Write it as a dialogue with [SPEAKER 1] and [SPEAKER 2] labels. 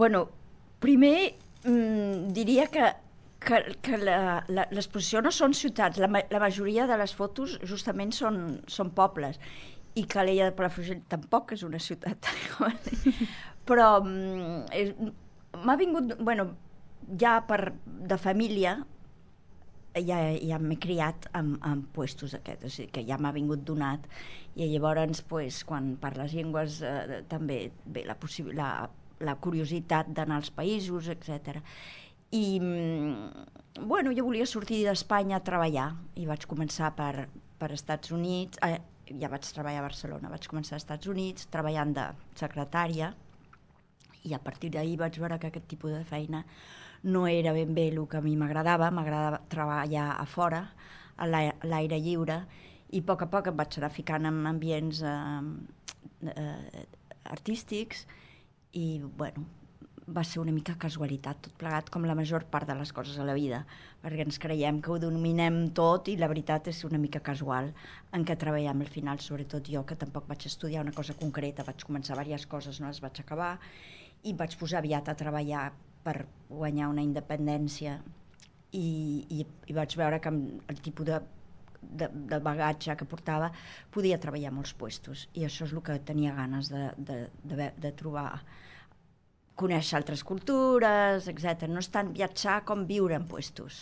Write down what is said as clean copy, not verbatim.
[SPEAKER 1] Bueno, primer diria que l'exposició no són ciutats, la majoria de les fotos justament són pobles, i Calella de Palafrugell tampoc és una ciutat. Però m'ha vingut, bueno, ja de família, ja m'he criat amb puestos aquests, o sigui que ja m'ha vingut donat, i llavors pues, quan parles llengües també ve la curiositat d'anar als països, etc. I bueno, jo volia sortir d'Espanya a treballar i vaig començar per Estats Units, ja vaig treballar a Barcelona, vaig començar als Estats Units treballant de secretària, i a partir d'ahir vaig veure que aquest tipus de feina no era ben bé el que a mi m'agradava treballar a fora, a l'aire lliure, i a poc em vaig anar ficant en ambients artístics, i bueno, va ser una mica casualitat tot plegat, com la major part de les coses a la vida, perquè ens creiem que ho dominem tot i la veritat és una mica casual en què treballem al final, sobretot jo, que tampoc vaig estudiar una cosa concreta, vaig començar diverses coses, no les vaig acabar, i vaig posar aviat a treballar per guanyar una independència, i vaig veure que amb el tipus de bagatge que portava podia treballar a molts puestos, i això és el que tenia ganes de trobar, conèixer altres cultures, etc. No és tant viatjar com viure en puestos.